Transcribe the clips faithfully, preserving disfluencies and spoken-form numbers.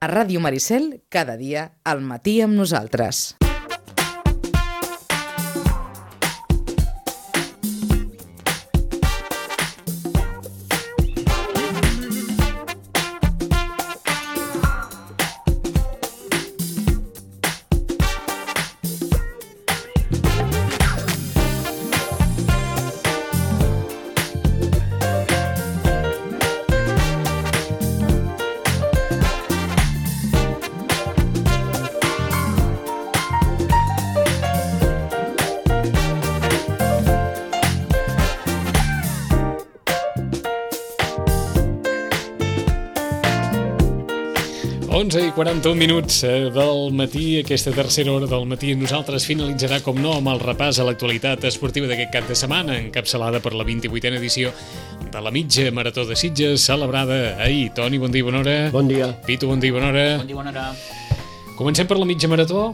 A Ràdio Maricel, cada dia, al matí amb nosaltres. onze i quaranta-un minuts del matí, aquesta tercera hora del matí. Nosaltres finalitzarà, com no, amb el repàs a l'actualitat esportiva d'aquest cap de setmana, encapçalada per la vint-i-vuitena edició de la mitja marató de Sitges, celebrada ahir. Toni, bon dia i bona hora. Bon dia. Pitu, bon dia i bona hora. Bon dia i bona hora. Comencem per la mitja marató,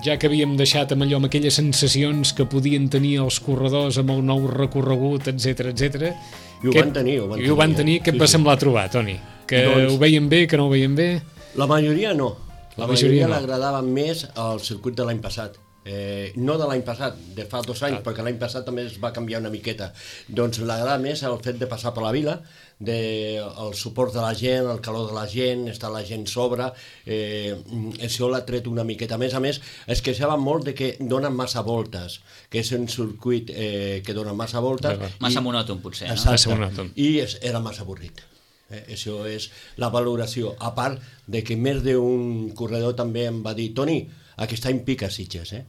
ja que havíem deixat amb allò, amb aquelles sensacions que podien tenir els corredors amb el nou recorregut, etcètera, etcètera. I ho que, van tenir, ho van I ho van tenir. tenir. Què et va semblar trobar, Toni? Que doncs, ho veien bé, que no ho veien bé? La majoria no. La, la majoria, majoria no. l'agradava més al circuit de l'any passat. Eh, no de l'any passat, de fa dos anys, ah. perquè l'any passat també es va canviar una miqueta. Doncs l'agrada més el fet de passar per la vila, de, el suport de la gent, el calor de la gent, està la gent sobre, eh, això l'ha tret una miqueta. A més a més, es queixava molt de que donen massa voltes, que és un circuit eh, que dona massa voltes. Clar, massa i, monòton, potser, no? Exacte, massa monòton. I es, era massa avorrit. Eh, això és la valoració, a part de que més d'un corredor també em va dir: Toni, aquest any pica Sitges, eh?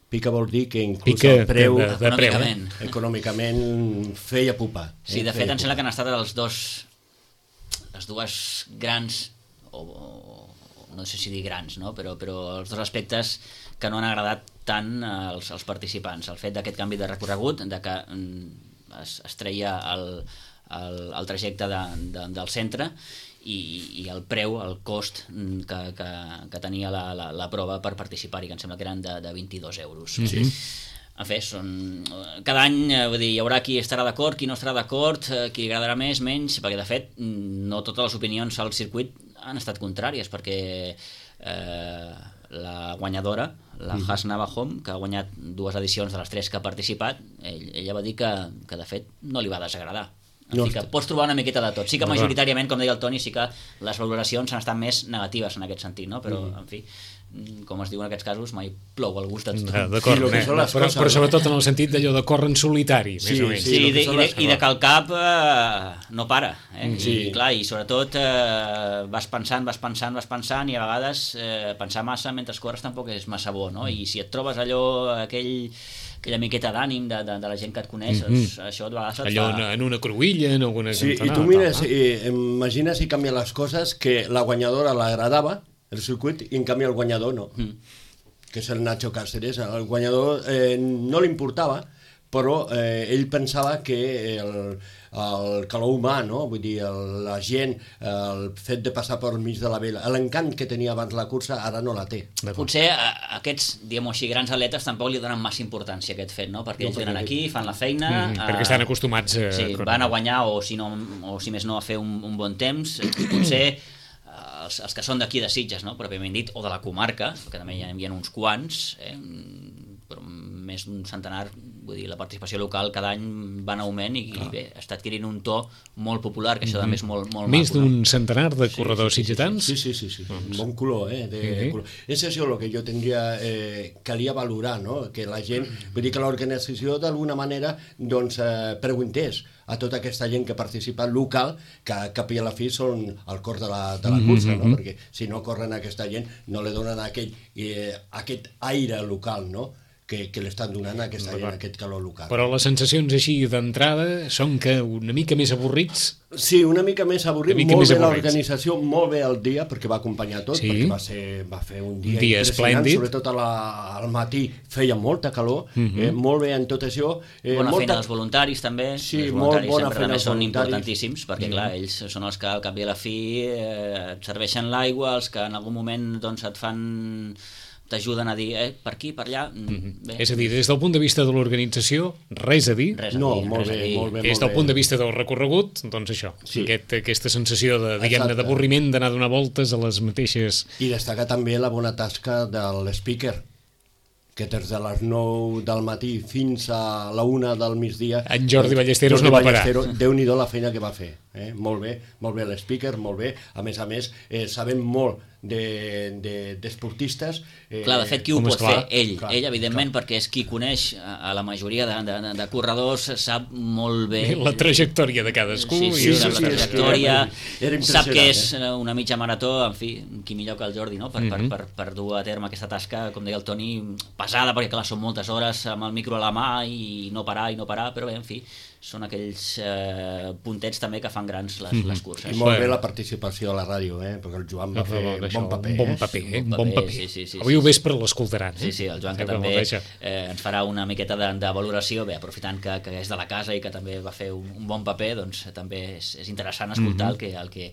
Pica vol dir que inclús pica el preu, de, de econòmicament. Eh? econòmicament feia pupa. Eh? Sí, de fet feia em sembla que han estat els dos les dues grans o, o no sé si dir grans, no? però, però els dos aspectes que no han agradat tant als, als participants. El fet d'aquest canvi de recorregut, de que es, es treia el El, el trajecte de, de, del centre i, i el preu, el cost que, que, que tenia la, la, la prova per participar-hi, que em sembla que eren de, de vint-i-dos euros. Sí. En fi, són... cada any vull dir, hi haurà qui estarà d'acord, qui no estarà d'acord, qui li agradarà més, menys, perquè de fet no totes les opinions al circuit han estat contràries, perquè eh, la guanyadora, la mm. Has Navahom, que ha guanyat dues edicions de les tres que ha participat, ell, ella va dir que, que de fet no li va desagradar. En fi, que pots trobar una miqueta de tot. Sí que majoritàriament, com deia el Toni, sí que les valoracions han estat més negatives en aquest sentit, no? Però, en fi, com es diu en aquests casos, mai plou el gust de tothom. Ah, d'acord, sí, eh? però, coses, però sobretot en el sentit d'allò de córrer en solitari, sí, més o menys. Sí, sí, i, de, i, de, i de que el cap eh, no para. Eh? Sí. I, clar, i sobretot eh, vas pensant, vas pensant, vas pensant, i a vegades eh, pensar massa mentre corres tampoc és massa bo, no? I si et trobes allò, aquell... aquella miqueta d'ànim de, de, de la gent que et coneix, mm-hmm. això de vegades et allò fa... en una cruïlla, en alguna sí, cantonada. I tu mires, eh, imagina si canvien les coses, que la guanyadora l'agradava, el circuit, i en canvi el guanyador no. Mm. Que és el Nacho Cáceres. El guanyador eh, no li importava, però eh, ell pensava que el, el calor humà, no? Vull dir, el, la gent, el fet de passar per mig de la vela, l'encant que tenia abans la cursa, ara no la té. Potser a, aquests, diguem-ho així, grans atletes tampoc li donen massa importància a aquest fet, no? Perquè no, ells venen aquí, fan la feina... Mm, a... Perquè estan acostumats a... Sí, van a guanyar o si, no, o si més no a fer un, un bon temps. Potser els, els que són d'aquí de Sitges, no? Pròpiament dit, o de la comarca, que també hi ha, hi ha uns quants, eh? Però més d'un centenar, vull dir, la participació local cada any va en augment i, i bé, està adquirint un to molt popular, que això també és molt, molt més maco. Més d'un no? centenar de corredors sí, sí, sitgetans? Sí, sí, sí, sí, sí. Un bon color, eh? De, sí. color. És això el que jo tindria, eh, calia valorar, no? Que la gent, vull dir que l'organització d'alguna manera, doncs, eh, preguntés a tota aquesta gent que participa local, que cap i a la fi són el cor de la, de la cursa, no? Perquè si no corren aquesta gent, no li donen aquell, eh, aquest aire local, no? que, que l'estan donant aquesta, en aquest calor local. Però les sensacions així d'entrada són que una mica més avorrits? Sí, una mica més avorrit, mica molt més bé avorrits. L'organització, molt bé el dia, perquè va acompanyar tot, sí. perquè va, ser, va fer un dia, un dia impressionant, esplèndid. Sobretot a la, al matí feia molta calor, uh-huh. eh, molt bé en tot això. Eh, bona molta... feina dels voluntaris també, sí, els voluntaris molt bona sempre també són voluntaris. importantíssims, perquè uh-huh. clar, ells són els que al cap i a la fi eh, et serveixen l'aigua, els que en algun moment doncs, et fan t'ajuden a dir, eh, per aquí, per allà... Mm-hmm. És a dir, des del punt de vista de l'organització, res a dir. Res a no, dir, molt res bé, a dir. molt bé. Des del punt de vista del recorregut, doncs això, Sí. aquest, aquesta sensació de, diguem-ne, Exacte. d'avorriment, d'anar a donar voltes a les mateixes... I destaca també la bona tasca de l'speaker, que des de les nou del matí fins a la una del migdia... En Jordi Ballesteros Jordi no va parar. Ballesteros, Déu-n'hi-do la feina que va fer. Eh? Molt bé, molt bé l'speaker, molt bé. A més a més, eh, sabem molt d'esportistes... De, de, eh, Clar, de fet, qui ho com pot esclar, fer? Ell, clar, ell evidentment, clar. perquè és qui coneix a, a la majoria de, de, de corredors, sap molt bé... La trajectòria de cadascú. Sí, sí, i sí, la la sí, trajectòria, era sap que és impressionant, una mitja marató, en fi, qui millor que el Jordi, no? per, Mhm. per, per, per dur a terme aquesta tasca, com deia el Toni, pesada, perquè clar, són moltes hores amb el micro a la mà i no parar i no parar, però bé, en fi, són aquells eh, puntets també que fan grans les, Mhm. les curses. I molt Bueno. bé la participació a la ràdio, eh? Perquè el Joan va fer Això, bon paper. un bon eh? paper, eh? un un bon paper, paper. sí, sí, sí, Avui sí, ho vespre l'escoltaran. Sí, sí, el Joan que Sempre també me'l deixa. eh, ens farà una miqueta de, de valoració, bé, aprofitant que, que és de la casa i que també va fer un, un bon paper, doncs també és, és interessant escoltar Mhm. el, que, el, que,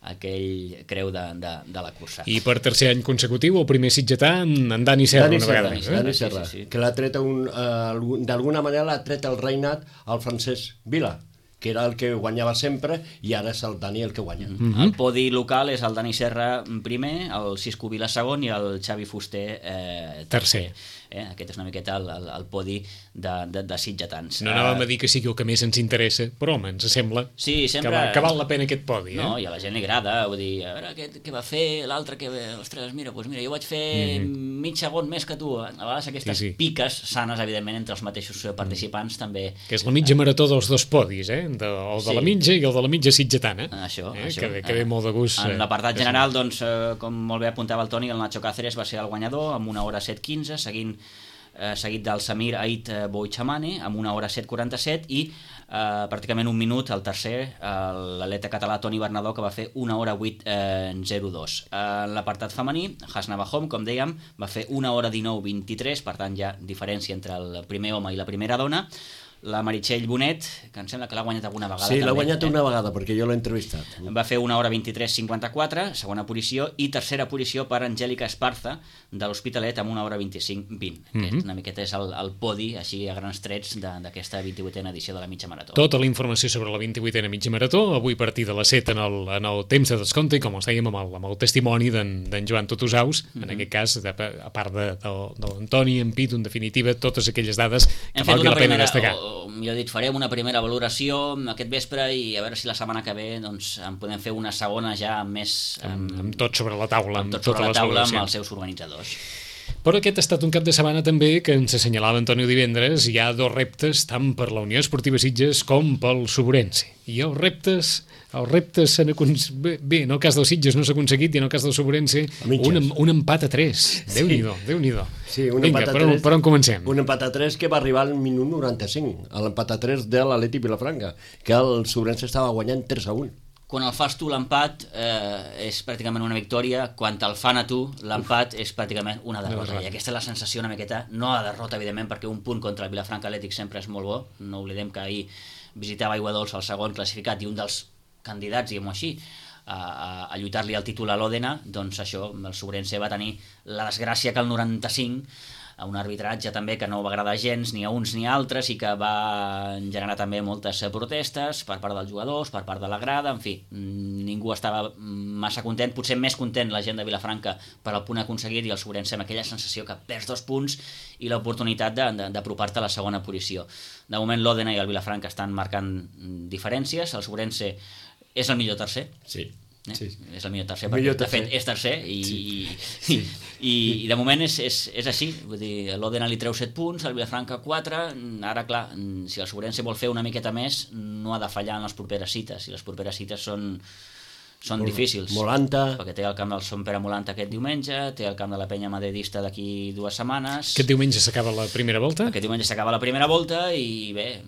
el que ell creu de, de, de la cursa. I per tercer any consecutiu, el primer sitgetà, en, en Dani Serra, Dani una Serra, vegada més. Dani Eh? Serra, Sí, sí, sí. que l'ha tret un, uh, d'alguna manera l'ha tret el reinat al Francesc Vila, que era el que guanyava sempre, i ara és el Dani el que guanya. Mm. Mm-hmm. El podi local és el Dani Serra primer, el Cisco Vila segon i el Xavi Fuster eh, Tercer. Eh? Aquest és una miqueta el, el, el podi de, de, de sitgetans. No anàvem a dir que sigui el que més ens interessa, però home, ens sembla Sí, sempre... que, va, que val la pena aquest podi. Eh? No, i a la gent li agrada, vull dir, a veure què, què va fer l'altre, que ostres, mira, doncs mira, jo vaig fer mm. mig segon més que tu. A vegades aquestes Sí, sí. piques sanes, evidentment, entre els mateixos participants també... Que és la mitja marató dels dos podis, eh? De, el de Sí. la mitja i el de la mitja sitgetana. Això, eh? això. Que, ve- que ve molt de gust. En eh, l'apartat que general, doncs, eh, com molt bé apuntava el Toni, el Nacho Cáceres va ser el guanyador amb una hora set quinze, seguint eh, seguit del Samir Ait eh, Boichamane amb una hora set quaranta-set i eh, pràcticament un minut el tercer, eh, l'atleta català Toni Bernadó, que va fer una hora vuit zero dos. En l'apartat femení, Hasna Bahom, com dèiem, va fer una hora dinou vint-i-tres, per tant hi ha diferència entre el primer home i la primera dona. La Meritxell Bonet, que em sembla que l'ha guanyat alguna vegada. Sí, l'ha també, guanyat eh? una vegada, perquè jo l'he entrevistat. Va fer una hora vint-i-tres cinquanta-quatre, segona posició, i tercera posició per Angèlica Esparza, de l'Hospitalet, amb una hora vint-i-cinc vint. Mm -hmm. Una miqueta és el, el podi, així a grans trets, d'aquesta vint-i-vuitena edició de la mitja marató. Tota la informació sobre la vint-i-vuitena mitja marató, avui a partir de les set en el, en el temps de descompte, i com us dèiem, amb el, amb el testimoni d'en Joan Totosaus, mm -hmm. en aquest cas, de, a part de, de, de l'Antoni, en Pitu, en definitiva, totes aquelles dades que Hem fet valgui una la pena primera, destacar. o, o millor dit, farem una primera valoració aquest vespre i a veure si la setmana que ve doncs, en podem fer una segona ja amb més... Amb, amb tot sobre la taula, amb amb, tot sobre totes la les taula, amb valoracions. els seus organitzadors. Però aquest ha estat un cap de setmana també que ens assenyalava Antonio divendres. Hi ha dos reptes, tant per la Unió Esportiva Sitges com pel Soborense. I els reptes, els reptes s'han aconseguit... Bé, bé, en el cas del Sitges no s'ha aconseguit i en el cas del Soborense un, un empat a tres. Déu-n'hi-do, Déu-n'hi-do. Sí, un Vinga, empat a per, on, tres. per on comencem? Un empat a tres que va arribar al minut noranta-cinc, a l'empat a tres de l'Atleti Vilafranca, que el Sobrense estava guanyant tres a un. Quan el fas tu l'empat eh, és pràcticament una victòria, quan te'l fan a tu l'empat és pràcticament una derrota. derrota. I aquesta és la sensació una miqueta, no la derrota evidentment, perquè un punt contra el Vilafranca Atlètic sempre és molt bo. No oblidem que ahir visitava Aigua Dolça, el segon classificat i un dels candidats, diguem-ho així, a, a, a lluitar-li el títol a l'Òdena. Doncs això, el Sobrense va tenir la desgràcia que el noranta-cinc, a un arbitratge també que no va agradar gens ni a uns ni a altres i que va generar també moltes protestes per part dels jugadors, per part de la grada, en fi, ningú estava massa content, potser més content la gent de Vilafranca per el punt aconseguit i el Sobrense amb aquella sensació que perds dos punts i l'oportunitat d'apropar-te a la segona posició. De moment l'Òdena i el Vilafranca estan marcant diferències, el Sobrense és el millor tercer, Sí. Eh? Sí. És el millor tercer, perquè Millor de fet tercer. és tercer i, Sí. i, i, i de moment és, és, és així, vull dir, l'Òdena li treu set punts, el Vilafranca quatre, ara clar, si el Sobrense vol fer una miqueta més no ha de fallar en les properes cites, i les properes cites són són Mol- difícils, Molanta. perquè té el camp del Sant Pere Molanta aquest diumenge, té el camp de la Penya Madridista d'aquí dues setmanes. Aquest diumenge s'acaba la primera volta? Aquest diumenge s'acaba la primera volta i bé,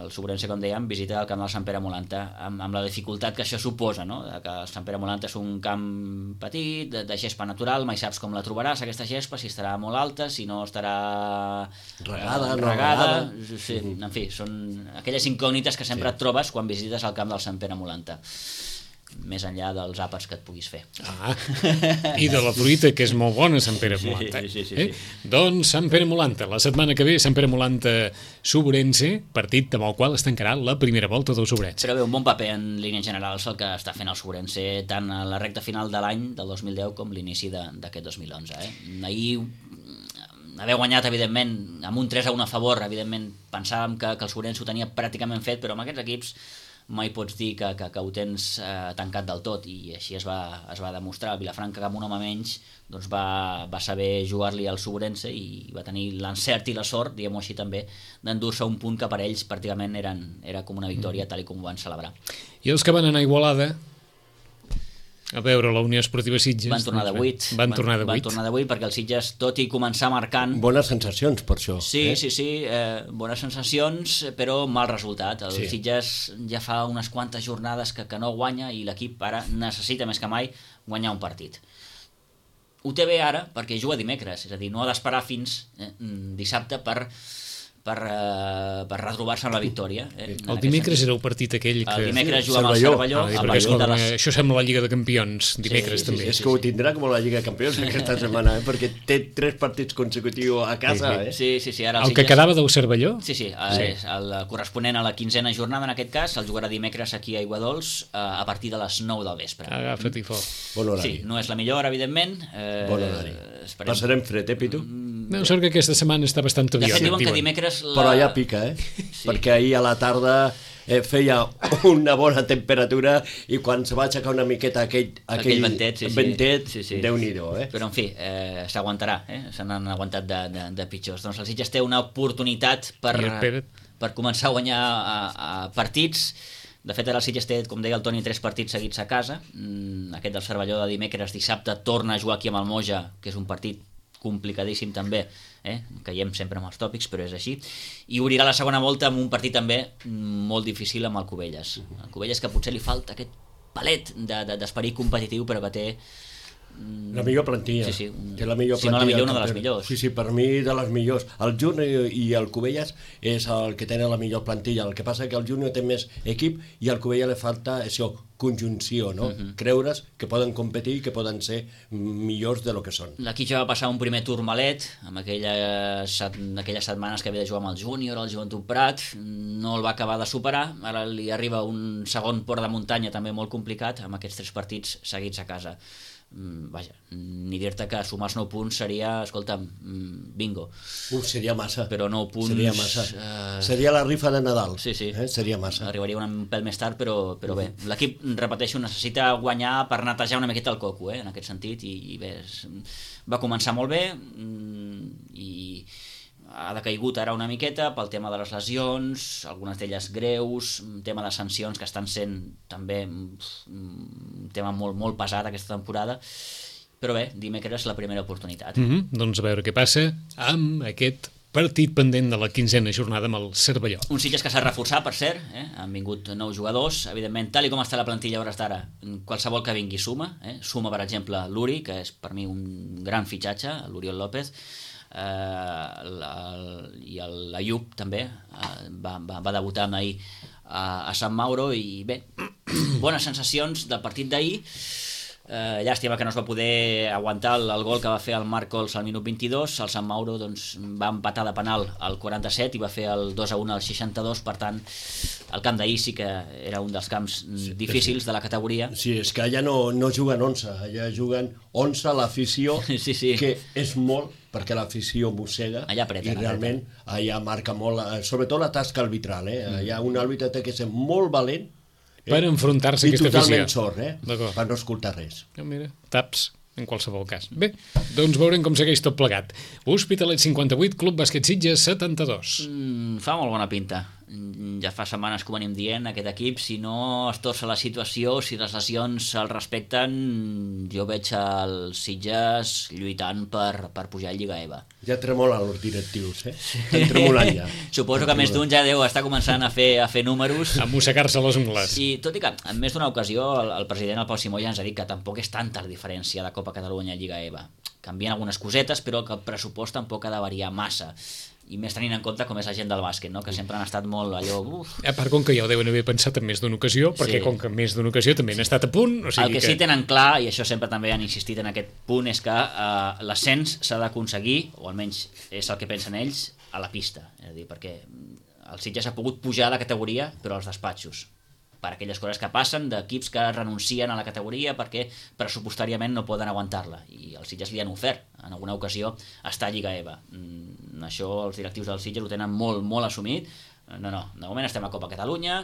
el Sobrense, com dèiem, visita el camp del Sant Pere Molanta amb, amb la dificultat que això suposa, no? Que el Sant Pere Molanta és un camp petit, de, de gespa natural, mai saps com la trobaràs, aquesta gespa, si estarà molt alta, si no estarà Regada, eh, no regada, regada. sí, en fi, són aquelles incògnites que sempre et trobes quan visites el camp del Sant Pere Molanta. més enllà dels àpats que et puguis fer. Ah, i de la fruita, que és molt bona, Sant Pere Molanta. Sí, sí, sí, eh? sí. Doncs Sant Pere Molanta, la setmana que ve, Sant Pere Molanta Sobrense, partit amb el qual es tancarà la primera volta del Sobrense. Però bé, un bon paper en línies generals el que està fent el Sobrense tant a la recta final de l'any del dos mil deu com l'inici d'aquest dos mil onze. Eh? Ahir haver guanyat, evidentment, amb un tres a un a favor, evidentment pensàvem que, que el Sobrense ho tenia pràcticament fet, però amb aquests equips mai pots dir que, que, que ho tens eh, tancat del tot, i així es va, es va demostrar. Vilafranca, amb un home menys, doncs va, va saber jugar-li al Sobrense i va tenir l'encert i la sort, diguem-ho així també, d'endur-se un punt que per ells pràcticament eren, era com una victòria, tal i com ho van celebrar. I els que van anar a Igualada a veure la Unió Esportiva Sitges van tornar de vuit van, van tornar de vuit van tornar de vuit perquè el Sitges, tot i començar marcant, bones sensacions per això, sí, eh? sí, sí, eh, bones sensacions, però mal resultat. El Sí. Sitges ja fa unes quantes jornades que, que no guanya, i l'equip ara necessita més que mai guanyar un partit. Ho té bé ara perquè juga dimecres, és a dir, no ha d'esperar fins eh, dissabte per per, uh, per retrobar-se amb la victòria. Eh, el dimecres era el partit aquell que... El dimecres Sí, juga amb el Cervelló. Cervelló. Ah, a perquè, partir escolta, de les... això sembla la Lliga de Campions, dimecres Sí, sí, també. És que ho tindrà com la Lliga de Campions aquesta setmana, eh? Perquè té tres partits consecutius a casa. Eh? Sí, sí, sí, ara El el que Sitges... quedava del Cervelló? Sí, sí, sí. És el corresponent a la quinzena jornada, en aquest cas, el jugarà dimecres aquí a Aiguadols a partir de les nou del vespre. Agafa't i fort. Bon horari. Sí, no és la millor hora, evidentment. Eh, Bon horari. esperem... Passarem fred, eh, Pitu? No, sort que aquesta setmana està bastant De aviat. fet, diuen que dimecres... La... Però allà pica, eh? Sí. Perquè ahir a la tarda eh, feia una bona temperatura i quan se va aixecar una miqueta aquell, aquell, Aquell ventet, sí, sí. ventet Sí, sí. Déu-n'hi-do, eh? Però, en fi, eh, s'aguantarà, eh? Se n'han aguantat de, de, de pitjors. Doncs el Sitges té una oportunitat per, I el Pere? per començar a guanyar a, a partits. De fet, ara el Sitges té, com deia el Toni, tres partits seguits a casa. Mm, aquest del Cervelló de dimecres, dissabte, torna a jugar aquí amb el Moja, que és un partit complicadíssim també, eh? Caiem sempre amb els tòpics, però és així, i obrirà la segona volta amb un partit també molt difícil amb el Cubelles. El Cubelles, que potser li falta aquest palet de, de, d'esperit competitiu, però que té La millor plantilla. Sí, sí, un- Té la millor si no la plantilla millor, del una de les campionat. millors. Sí, sí, per mi de les millors. El Júnior i el Cubelles és el que tenen la millor plantilla. El que passa que el Júnior té més equip i al Cubelles li falta això, conjunció, no? Uh-huh. Creure's que poden competir i que poden ser millors de lo que són. L'equip ja va passar un primer turmalet amb aquelles, set- aquelles setmanes que havia de jugar amb el Júnior, el Joventut Prat, no el va acabar de superar. Ara li arriba un segon port de muntanya també molt complicat amb aquests tres partits seguits a casa. Mm, vaja, ni dir-te que sumar els nou punts seria, escolta'm, mm, bingo. Uf, seria massa. Però nou punts... Seria massa. eh, Seria la rifa de Nadal. Sí, sí. Eh? Seria massa. Arribaria un pèl més tard, però, però bé, l'equip, repeteixo, necessita guanyar per netejar una miqueta el coco, eh, en aquest sentit, i, i bé, és, va començar molt bé mm, i ha decaigut ara una miqueta pel tema de les lesions, algunes d'elles greus, un tema de sancions que estan sent també un tema molt, molt pesat aquesta temporada, però bé, dimecres la primera oportunitat. Mm -hmm. Doncs a veure què passa amb aquest partit pendent de la quinzena jornada amb el Cervelló. Un Sitges que s'ha reforçat, per cert, eh? Han vingut nous jugadors, evidentment, tal i com està la plantilla a hores d'ara, qualsevol que vingui suma, eh? Suma, per exemple, l'Uri, que és per mi un gran fitxatge, l'Oriol López, eh, el, el, i l'Ayub també, eh, va, va, va debutar ahir a, a Sant Mauro, i bé, bones sensacions del partit d'ahir. Eh, llàstima que no es va poder aguantar el, el gol que va fer el Marcols al minut vint-i-dos. El Sant Mauro doncs, va empatar de penal al quaranta-set i va fer el dos a un al seixanta-dos. Per tant, el camp d'ahir sí que era un dels camps sí, difícils de la categoria. Sí, és que allà no, no juguen onze, allà juguen onze a l'afició, Sí, sí. que és molt, perquè l'afició mossega, Allà apreten, i realment allà marca molt, eh, sobretot la tasca arbitral, eh? Allà un àrbitre té que ser molt valent, eh? Per enfrontar-se a i aquesta totalment afició. sord, eh? D'acord. Per no escoltar res. Ah, mira, taps, en qualsevol cas. Bé, doncs veurem com segueix tot plegat. Hospitalet cinquanta-vuit, Club Bàsquet Sitges setanta-dos. Mm, fa molt bona pinta. Mm, Ja fa setmanes que ho venim dient, aquest equip, si no es torça la situació, si les lesions el respecten, jo veig els Sitges lluitant per, per pujar a Lliga E V A. Ja tremolen els directius, eh? Estan tremolant ja. Suposo que més d'un ja deu estar començant a fer, a fer números. A mossegar-se les ungles. I tot i que en més d'una ocasió el, el president, el Pau Simó, ja ens ha dit que tampoc és tanta la diferència de Copa Catalunya a Lliga E V A. Canvien algunes cosetes, però que el pressupost tampoc ha de variar massa. i més tenint en compte com és la gent del bàsquet, no? Que sempre han estat molt allò... Uf. A part, com que ja ho deuen haver pensat en més d'una ocasió, perquè Sí. com que en més d'una ocasió també han estat a punt... O sigui El que, que sí tenen clar, i això sempre també han insistit en aquest punt, és que eh, l'ascens s'ha d'aconseguir, o almenys és el que pensen ells, a la pista. És a dir, perquè el Sitges ha pogut pujar de categoria, però als despatxos, per aquelles coses que passen d'equips que renuncien a la categoria perquè pressupostàriament no poden aguantar-la, i els Sitges li han ofert en alguna ocasió estar a Lliga E V A. Mm, això els directius del Sitges ho tenen molt, molt assumit. No, no, de moment estem a Copa Catalunya,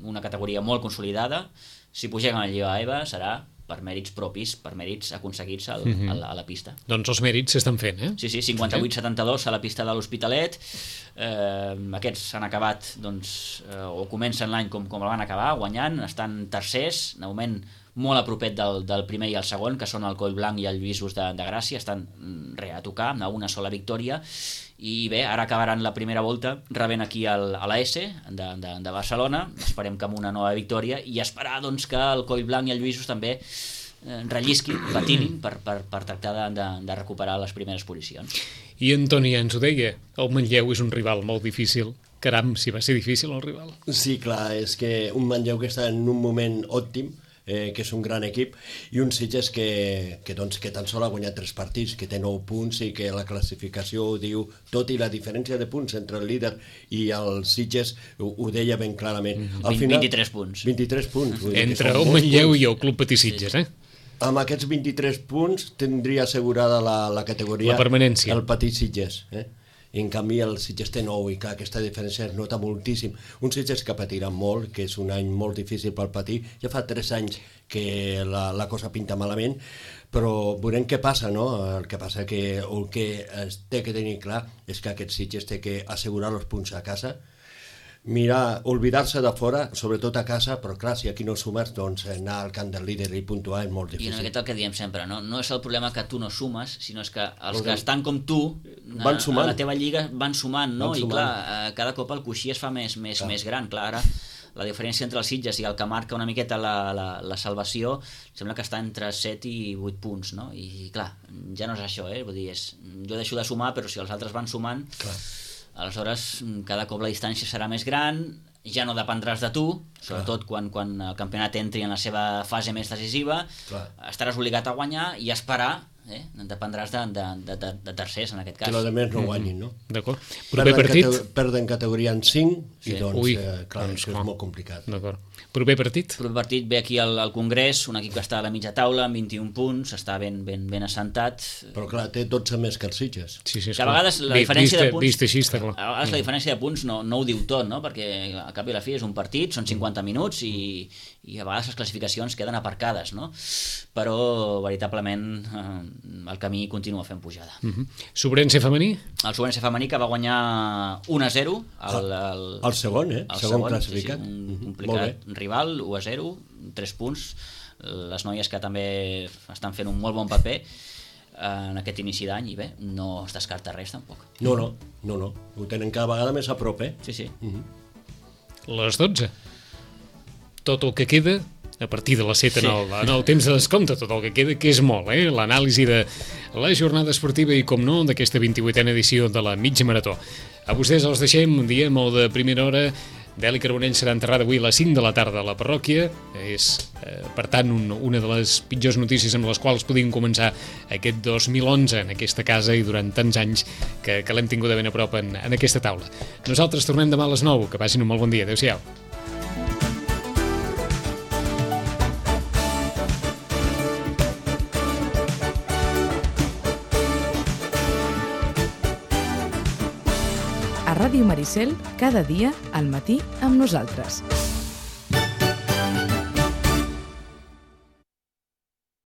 una categoria molt consolidada. Si pugem a la Lliga E V A serà per mèrits propis, per mèrits aconseguits al, mm-hmm. a, la, a la pista. Doncs els mèrits s'estan fent, eh? Sí, sí, cinquanta-vuit setanta-dos a la pista de l'Hospitalet. Eh, aquests han acabat, doncs, eh, o comencen l'any com, com el van acabar, guanyant, estan tercers, de moment molt a propet del, del primer i el segon, que són el Collblanc i el Lluïsos de, de Gràcia, estan re a tocar, a una sola victòria, i bé, ara acabaran la primera volta rebent aquí el, a la S de, de, de Barcelona, esperem que amb una nova victòria, i esperar doncs, que el Collblanc i el Lluïsos també eh, rellisquin, patinin per, per, per tractar de, de, de recuperar les primeres posicions. I Antoni ja ens ho deia, el Manlleu és un rival molt difícil. Caram, si va ser difícil el rival. Sí, clar, és que un Manlleu que està en un moment òptim, eh, que és un gran equip, i un Sitges que, que, doncs, que tan sol ha guanyat tres partits, que té nou punts i que la classificació ho diu tot, i la diferència de punts entre el líder i el Sitges ho, ho deia ben clarament. Al final, vint-i-tres punts. vint-i-tres punts. Vull dir Entre que el Manlleu i el Club Patí Sitges, eh? Amb aquests vint-i-tres punts tindria assegurada la, la categoria La permanència. el Patí Sitges, eh? I en canvi el Sitges té nou, i clar, aquesta diferència es nota moltíssim. Un Sitges que patirà molt, que és un any molt difícil pel Patí, ja fa tres anys que la, la cosa pinta malament, però veurem què passa, no? El que passa que el que es té que tenir clar és que aquest Sitges té que assegurar els punts a casa, mirar, oblidar-se de fora, sobretot a casa, però clar, si aquí no sumes, doncs anar al camp del líder i puntuar és molt I difícil. en aquest el que diem sempre, no? No és el problema que tu no sumes, sinó és que els que estan com tu a, Van sumant. a la teva lliga van sumant, no? Van I sumant. clar, eh, cada cop el coixí es fa més, més, més gran. Clar, ara la diferència entre els Sitges i el que marca una miqueta la, la, la salvació sembla que està entre set i vuit punts, no? I clar, ja no és això, eh? Vull dir, és, jo deixo de sumar, però si els altres van sumant, clar, aleshores cada cop la distància serà més gran, ja no dependràs de tu, sobretot quan, quan el campionat entri en la seva fase més decisiva, clar, estaràs obligat a guanyar i a esperar, eh? Dependràs de, de, de, de tercers en aquest cas. Que els altres no guanyin, no? D'acord. Proper Perden, partit? cate perden categoria en cinc, Sí. i doncs, Ui, eh, clar, doncs això clar. és molt complicat. D'acord. Proper partit? El proper partit ve aquí al, al Congrés, un equip que està a la mitja taula amb vint-i-un punts, està ben, ben, ben assentat. Però clar, té dotze més que els Sitges. Sí, sí, Que a vegades la diferència vista, de punts... Vist així, està clar. A vegades la diferència de punts no, no ho diu tot, no? Perquè a cap i a la fi és un partit, són cinquanta minuts i, i a vegades les classificacions queden aparcades, no? Però veritablement eh, el camí continua fent pujada. Uh -huh. Sobrense femení? El Sobrense femení que va guanyar un a zero el, el, El segon, eh? el segon, segon classificat. sí, sí, un Mhm. complicat rival, un a zero, tres punts. Les noies que també estan fent un molt bon paper en aquest inici d'any, i bé, no es descarta res tampoc. No, no, no, no. Ho tenen cada vegada més a prop, eh? Sí, sí. Les dotze. Tot el que queda a partir de les set en el, en el temps de descompte, tot el que queda, que és molt, eh? L'anàlisi de la jornada esportiva i, com no, d'aquesta vint-i-vuitena edició de la mitja marató. A vostès els deixem un dia molt de primera hora. Deli Carbonell serà enterrada avui a les cinc de la tarda a la parròquia. És, eh, per tant, un, una de les pitjors notícies amb les quals podíem començar aquest dos mil onze en aquesta casa i durant tants anys que, que l'hem tingut de ben a prop en, en aquesta taula. Nosaltres tornem demà a les nou. Que passin un molt bon dia. Adéu-siau. A Ràdio Maricel, cada dia al matí amb nosaltres.